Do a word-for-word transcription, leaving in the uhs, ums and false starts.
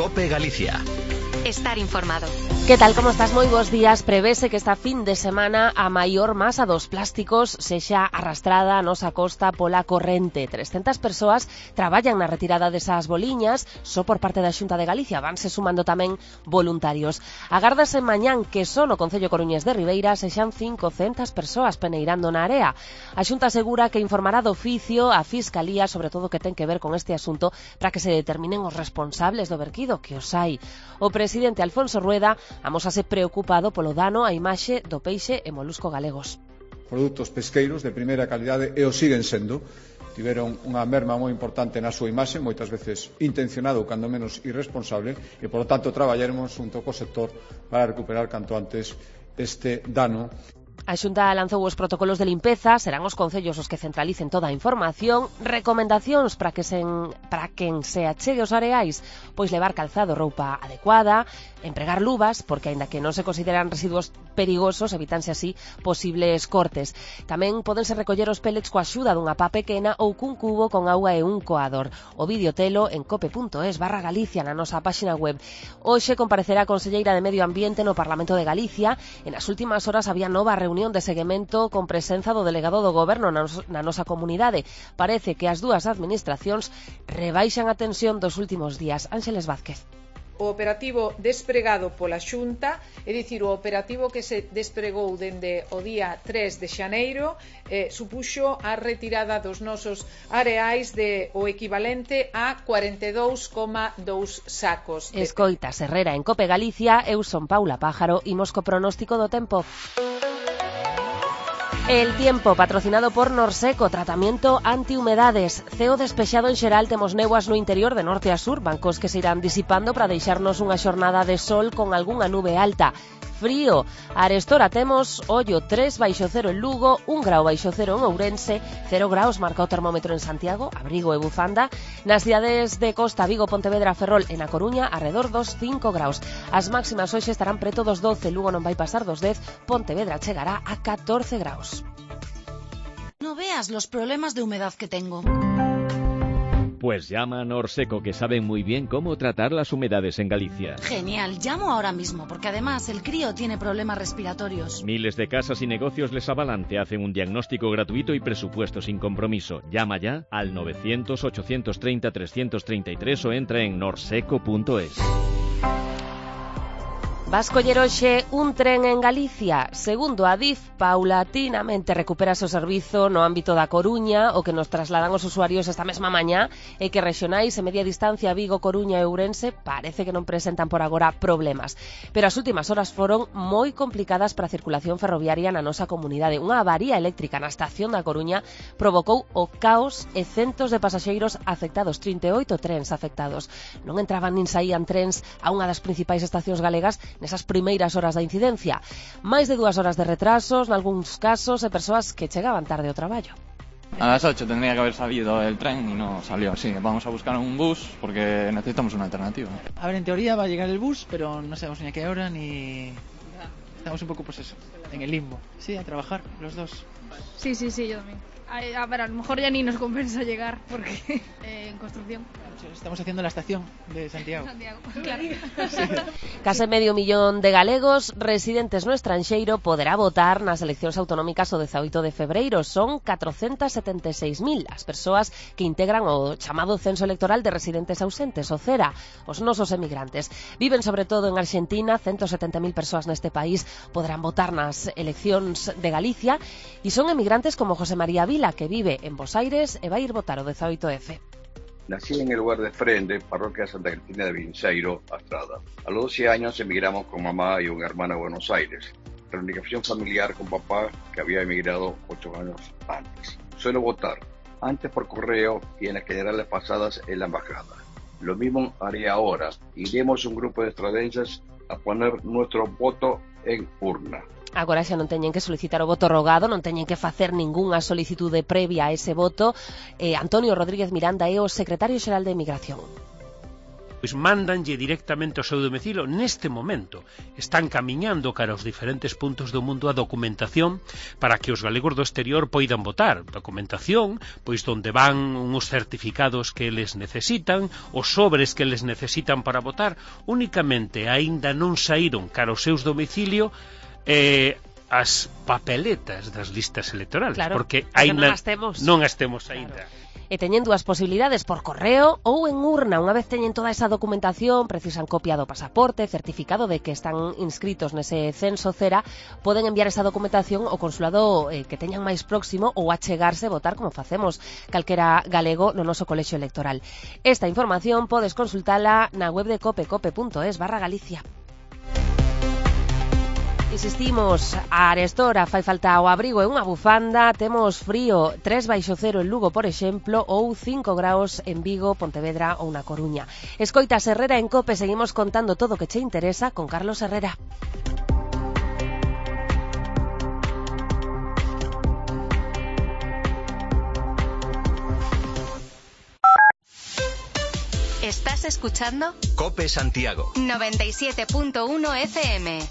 COPE Galicia. Estar informado. Que tal, como estás? Moi bons días. Prevese que esta fin de semana a maior masa dos plásticos sexa arrastrada a nosa costa pola corrente. trescentas persoas traballan na retirada desas boliñas só por parte da Xunta de Galicia. Vanse sumando tamén voluntarios. Agárdase mañán que só no Concello Coruñés de Ribeira sexan cincocentas persoas peneirando na area. A Xunta asegura que informará de oficio a Fiscalía sobre todo o que ten que ver con este asunto para que se determinen os responsables do verquido, que os hai. O presidente Alfonso Rueda amósase preocupado polo dano á imaxe do peixe e molusco galegos. Produtos pesqueiros de primeira calidade e o siguen sendo. Tiveron unha merma moi importante na súa imaxe, moitas veces intencionado ou cando menos irresponsable, e polo tanto traballaremos junto co sector para recuperar canto antes este dano. A Xunta lanzou os protocolos de limpeza, serán os concellos os que centralicen toda a información, recomendacións para que sen, para quen se achegue aos areais, pois levar calzado, roupa adecuada, empregar luvas, porque aínda que non se consideran residuos perigosos, evitanse así posibles cortes. Tamén podense recoller os pellets coa axuda dunha pá pequena ou cun cubo con auga e un coador. O vídeo telo en cope.es barra Galicia na nosa páxina web. Hoxe comparecerá a conselleira de Medio Ambiente no Parlamento de Galicia. En as últimas horas había nova reunión de seguimento con presenza do delegado do Goberno na, nos, na nosa comunidade. Parece que as dúas administracións rebaixan a tensión dos últimos días. Ángeles Vázquez. O operativo despregado pola Xunta, é dicir, o operativo que se despregou dende o día tres de xaneiro, eh, supuxo a retirada dos nosos areais de o equivalente a cuarenta e dous coma dous sacos. Escoitas Herrera en Cope Galicia, eu son Paula Pájaro, imos co pronóstico do tempo. El tiempo, patrocinado por Norseco, tratamiento antihumedades. Ceo despexado en xeral, temos néboas no interior de norte a sur, bancos que se irán disipando para deixarnos unha xornada de sol con algunha nube alta. Frío, arestora temos ollo tres baixo cero en Lugo, un grau baixo cero en Ourense, cero graus marca o termómetro en Santiago, abrigo e bufanda. Nas cidades de Costa, Vigo, Pontevedra, Ferrol e na Coruña, arredor dos cinco graus. As máximas hoxe estarán preto dos doce, Lugo non vai pasar dos dez, Pontevedra chegará a catorce graus. No veas los problemas de humedad que tengo. Pues llama a Norseco, que saben muy bien cómo tratar las humedades en Galicia. Genial, llamo ahora mismo, porque además el crío tiene problemas respiratorios. Miles de casas y negocios les avalan, te hacen un diagnóstico gratuito y presupuesto sin compromiso. Llama ya al novecientos, ochocientos treinta, trescientos treinta y tres o entra en norseco punto es. Vas coller hoxe un tren en Galicia. Segundo a DIF, paulatinamente recupera o servizo no ámbito da Coruña, o que nos trasladan os usuarios esta mesma mañá, e que rexionais e media distancia Vigo, Coruña e Ourense parece que non presentan por agora problemas. Pero as últimas horas foron moi complicadas para a circulación ferroviaria na nosa comunidade. Unha avaría eléctrica na estación da Coruña provocou o caos e centos de pasaxeiros afectados, trinta e oito trens afectados. Non entraban nin saían trens a unha das principais estacións galegas nesas primeiras horas da incidencia. Máis de dúas horas de retrasos, nalgúns casos, e persoas que chegaban tarde ao traballo. A las ocho tendría que haber salido el tren y no salió. Sí, vamos a buscar un bus porque necesitamos una alternativa. A ver, en teoría va a llegar el bus, pero no sabemos ni a qué hora ni... Estamos un poco, pues eso, en el limbo. Sí, a trabajar, los dos. Sí, sí, sí, yo también. A, a ver, a lo mejor ya ni nos compensa llegar porque eh, en construcción. Estamos haciendo la estación de Santiago. Santiago, claro. Sí. Case medio millón de galegos residentes no estranxeiro poderá votar nas eleccións autonómicas o dezaoito de febreiro. Son catrocentas setenta e seis mil as persoas que integran o chamado censo electoral de residentes ausentes, o CERA, os nosos emigrantes. Viven sobre todo en Arxentina, ciento setenta mil persoas neste país poderán votar nas eleccións de Galicia, e son emigrantes como José María Vila, que vive en Bos Aires e vai ir votar o dezaoito F. Nací en el lugar de Frende, parroquia Santa Cristina de Vinceiro, Astrada. A los doce años emigramos con mamá y una hermana a Buenos Aires. Reunificación familiar con papá, que había emigrado ocho años antes. Suelo votar, antes por correo y en las generales pasadas en la embajada. Lo mismo haré ahora. Iremos un grupo de estradenses a poner nuestro voto en urna. Agora xa non teñen que solicitar o voto rogado, non teñen que facer ningunha solicitude previa a ese voto. Eh, Antonio Rodríguez Miranda é o secretario xeral de Emigración. pois mándanlle directamente ao seu domicilio. Neste momento están camiñando cara aos diferentes puntos do mundo a documentación para que os galegos do exterior poidan votar. Documentación, pois donde van uns certificados que eles necesitan, os sobres que eles necesitan para votar. Únicamente aínda non saíron cara aos seus domicilio eh, as papeletas das listas electorales, claro, porque aínda aínda non as temos, non as temos aínda. Claro. E teñen dúas posibilidades, por correo ou en urna. Unha vez teñen toda esa documentación, precisan copia do pasaporte, certificado de que están inscritos nese censo cera, poden enviar esa documentación ao consulado eh, que teñan máis próximo ou achegarse a votar como facemos calquera galego no noso colexio electoral. Esta información podes consultala na web de cope, cope punto es barra Galicia. Insistimos, a arestora fai falta o abrigo e unha bufanda, temos frío, tres baixo cero en Lugo, por exemplo, ou cinco graus en Vigo, Pontevedra ou na Coruña. Escoitas Herrera en Cope, seguimos contando todo o que che interesa con Carlos Herrera. ¿Estás escuchando? Cope Santiago noventa y siete punto uno F M.